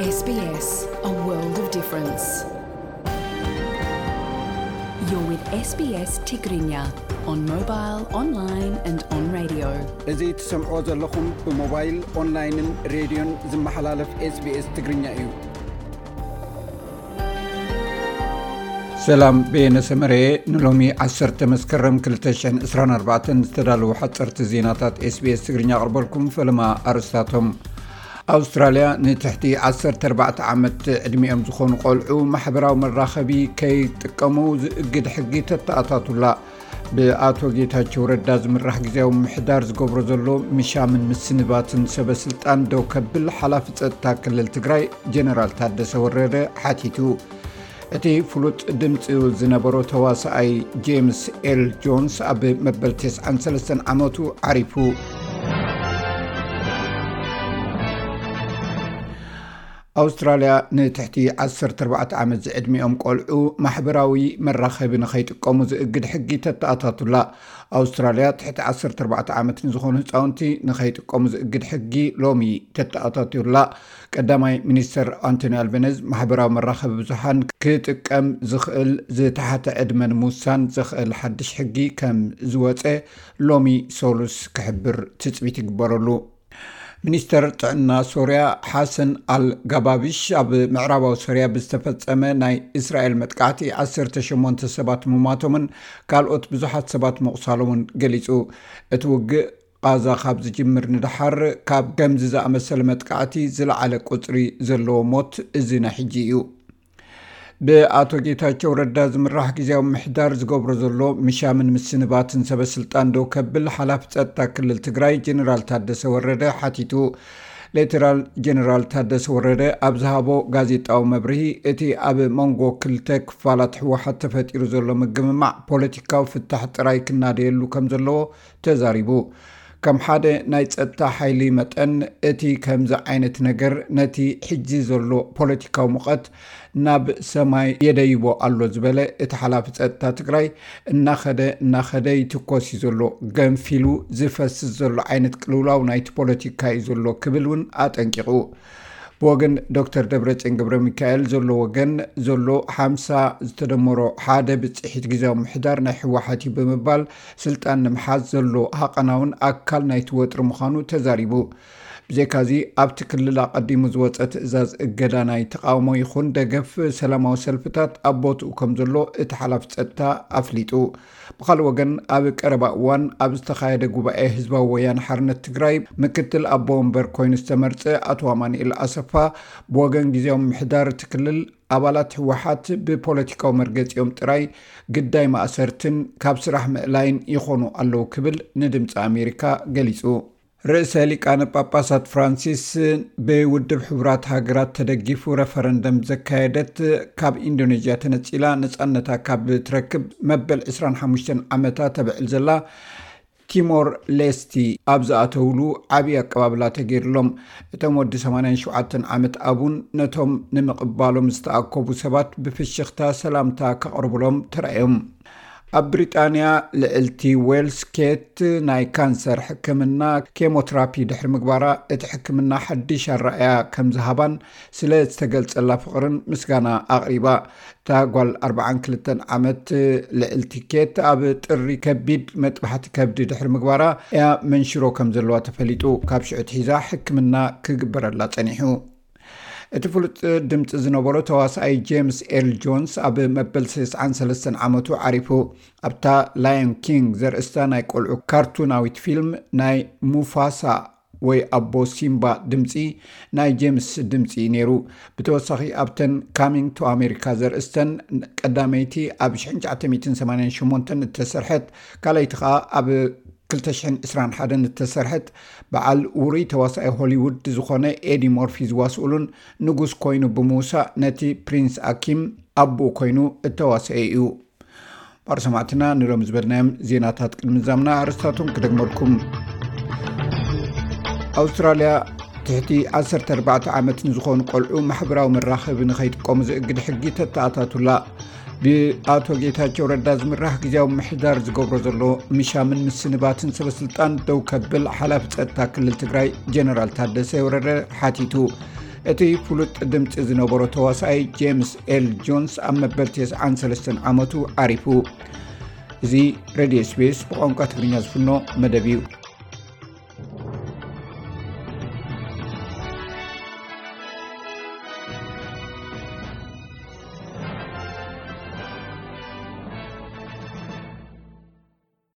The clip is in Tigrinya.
S B S, a world of difference. You're with S B S Tigrinya on mobile, online and on radio. እዚ ትሰምዕዎ ዘለኹም ብሞባይል፣ ኦንላይንን ሬድዮን ዝመሓላለፍ SBS ትግርኛ እዩ። ሰላም፣ በየነ ሰመረ። ንሎሚ ዓሰርተ መስከረም ክልተ ሽሕን ዕስራን ኣርባዕተን ዝተዳለዉ ሓፀርቲ ዜናታት SBS ትግርኛ ኣቕርበልኩም። ፈለማ ኣርእስታቶም። ኣውስትራልያ ንትሕቲ ዓሰርተ ኣርባዕተ ዓመት ዕድሚኦም ዝኾኑ ቆልዑ ማሕበራዊ መራኸቢ ከይጥቀሙ ዝእግድ ሕጊ ተተኣታቱላ። ብኣቶ ጌታቸው ረዳ ዝምራሕ ግዝያዊ ምሕዳር ዝገብሮ ዘሎ ምሻምን ምስንባትን ሰበ ስልጣን ደው ከብል ሓላፊ ጸጥታ ክልል ትግራይ ጀነራል ታደሰ ወረደ ሓቲቱ። እቲ ፍሉጥ ድምፂ ዝነበሮ ተዋሳኣይ ጄምስ ኤል ጆንስ ኣብ መበል ተስዓን ሰለስተን ዓመቱ ዓሪፉ። ኣውስትራልያ ንትሕቲ ዓሰርተ ኣርባዕተ ዓመት ዝዕድሚኦም ቆልዑ ማሕበራዊ መራኸቢ ንኸይጥቀሙ ዝእግድ ሕጊ ተተኣታቱላ። ኣውስትራልያ ትሕቲ ዓሰርተ ኣርባዕተ ዓመት ንዝኾኑ ህፃውንቲ ንኸይጥቀሙ ዝእግድ ሕጊ ሎሚ ተተኣታቱላ። ቀዳማይ ሚኒስተር ኣንቶኒ ኣልበነዝ ማሕበራዊ መራኸቢ ብዙሓን ክጥቀም ዝኽእል ዝተሓተ ዕድመ ንምውሳን ዘኽእል ሓድሽ ሕጊ ከም ዝወፀ ሎሚ ሰሉስ ክሕብር ትፅቢት ይግበረሉ። ሚኒስተር ጥዕና ሶርያ ሓሰን ኣል ጋባቢሽ ኣብ ምዕራባዊ ሶርያ ብዝተፈጸመ ናይ እስራኤል መጥቃዕቲ ዓሰርተ ሸሞንተ ሰባት ምሟቶምን ካልኦት ብዙሓት ሰባት ምቑሳሎምን ገሊጹ። እቲ ውግእ ቓዛ ካብ ዝጅምር ንደሓር ካብ ከምዚ ዝኣመሰለ መጥቃዕቲ ዝለዓለ ቁጽሪ ዘለዎ ሞት እዚ ናይ ሕጂ እዩ። ብኣቶ ጌታቸው ረዳ ዝምራሕ ግዝያዊ ምሕዳር ዝገብሮ ዘሎ ምሻምን ምስንባትን ሰበ ስልጣን ደው ከብል ሓላፊ ጸጥታ ክልል ትግራይ ጀነራል ታደሰ ወረደ ሓቲቱ። ሌተናል ጀነራል ታደሰ ወረደ ኣብ ዝሃቦ ጋዜጣዊ መብርሂ፣ እቲ ኣብ መንጎ ክልተ ክፋላት ህወሓት ተፈጢሩ ዘሎ ምግምማዕ ፖለቲካዊ ፍታሕ ጥራይ ክናደየሉ ከም ዘለዎ ተዛሪቡ። ከም ሓደ ናይ ጸጥታ ሓይሊ መጠን፣ እቲ ከምዚ ዓይነት ነገር ነቲ ሕጂ ዘሎ ፖለቲካዊ ሙቐት ናብ ሰማይ የደይቦ ኣሎ ዝበለ እቲ ሓላፊ ጸጥታ ትግራይ፣ እናኸደ እናኸደ ይትኮስ እዩ ዘሎ፣ ገንፊሉ ዝፈስስ ዘሎ ዓይነት ቅልውላው ናይቲ ፖለቲካ እዩ ዘሎ ክብል እውን ኣጠንቂቑ። ብወገን ዶክተር ደብረጽዮን ገብረ ሚካኤል ዘሎ ወገን ዘሎ ሓምሳ ዝተደመሮ ሓደ ብጽሒት ግዝያዊ ምሕዳር ናይ ህወሓት እዩ ብምባል፣ ስልጣን ንምሓዝ ዘሎ ሃቐናውን ኣካል ናይቲ ወጥሪ ምዃኑ ተዛሪቡ። ብዘይካዚ ኣብቲ ክልል ኣቐዲሙ ዝወጸ ትእዛዝ እገዳ ናይ ተቓውሞ ይኹን ደገፍ ሰላማዊ ሰልፍታት ኣብ ቦትኡ ከም ዘሎ እቲ ሓላፊ ጸጥታ ኣፍሊጡ። ብኻልእ ወገን ኣብ ቀረባ እዋን ኣብ ዝተኻየደ ጉባኤ ህዝባዊ ወያነ ሓርነት ትግራይ ምክትል ኣቦ ወንበር ኮይኑ ዝተመርጸ ኣቶ ኣማኑኤል ኣሰፋ ብወገን ግዝያዊ ምሕዳር እቲ ክልል ኣባላት ህወሓት ብፖለቲካዊ መርገጺኦም ጥራይ ግዳይ ማእሰርትን ካብ ስራሕ ምእላይን ይኾኑ ኣለዉ ክብል ንድምፂ ኣሜሪካ ገሊጹ። ርእሰ ሊቃነ ጳጳሳት ፍራንሲስ ብውድብ ሕቡራት ሃገራት ተደጊፉ ረፈረንደም ዘካየደት ካብ ኢንዶኔዥያ ተነጺላ ነጻነታ ካብ ትረክብ መበል ዕስራን ሓሙሽተን ዓመታ ተብዕል ዘላ ቲሞር ሌስቲ ኣብ ዝኣተውሉ ዓብዪ ኣቀባብላ ተገይርሎም። እቶም ወዲ ሰማንያን ሸውዓተን ዓመት ኣቡን ነቶም ንምቕባሎም ዝተኣከቡ ሰባት ብፍሽኽታ ሰላምታ ከቕርብሎም ተራእዮም። ኣብ ብሪጣንያ ልዕልቲ ዌልስ ኬት ናይ ካንሰር ሕክምና ኬሞትራፒ ድሕሪ ምግባራ፣ እቲ ሕክምና ሓድሽ ኣረኣእያ ከም ዝሃባን ስለ ዝተገልጸላ ፍቕርን ምስጋና ኣቕሪባ። እታ ጓል ኣርባዓን ክልተን ዓመት ልዕልቲ ኬት ኣብ ጥሪ ከቢድ መጥባሕቲ ከብዲ ድሕሪ ምግባራ እያ መንሽሮ ከም ዘለዋ ተፈሊጡ። ካብ ሽዑ ኣትሒዛ ሕክምና ክግበረላ ጸኒሑ። እቲ ፍሉጥ ድምፂ ዝነበሮ ተዋሳኣይ ጄምስ ኤል ጆንስ ኣብ መበል ተስዓን ሰለስተን ዓመቱ ዓሪፉ። ኣብታ ላዮን ኪንግ ዘርእስታ ናይ ቆልዑ ካርቱናዊት ፊልም ናይ ሙፋሳ ወይ ኣቦ ሲምባ ድምፂ ናይ ጄምስ ድምፂ እዩ ነይሩ። ብተወሳኺ ኣብተን ካሚንግ ቱ ኣሜሪካ ዘርእስተን ቀዳመይቲ ኣብ ሽሕን ትሽዓተ ሚእትን ሰማንያን ሸሞንተን እተሰርሐት፣ ካልኣይቲ ኸኣ ኣብ ክልተ ሽሕን ዕስራን ሓደን እተሰርሐት፣ በዓል ውሩይ ተዋሳኢ ሆሊውድ ዝኾነ ኤዲ ሞርፊ ዝዋስኡሉን ንጉስ ኮይኑ ብምውሳእ ነቲ ፕሪንስ ኣኪም ኣቦኡ ኮይኑ እተዋሰኤ እዩ። ባር ሰማዕትና ንሎም ዝበልናዮም ዜናታት ቅድሚ ዛምና ኣርእስታቶም ክደግመልኩም። ኣውስትራልያ ትሕቲ ዓሰርተ ኣርባዕተ ዓመት ንዝኾኑ ቆልዑ ማሕበራዊ መራኸቢ ንኸይጥቀሙ ዝእግድ ሕጊ ተተኣታቱላ። ብኣቶ ጌታቸው ረዳ ዝምራሕ ግዝያዊ ምሕዳር ዝገብሮ ዘሎ ምሻምን ምስንባትን ሰበስልጣን ደው ከብል ሓላፊ ጸጥታ ክልል ትግራይ ጀነራል ታደሰ ወረደ ሓቲቱ። እቲ ፍሉጥ ድምፂ ዝነበሮ ተዋሳኣይ ጄምስ ኤል ጆንስ ኣብ መበል ተስዓን ሰለስተን ዓመቱ ዓሪፉ። እዚ ሬድዮ ኤስቢኤስ ብቋንቋ ትግርኛ ዝፍኖ መደብ እዩ።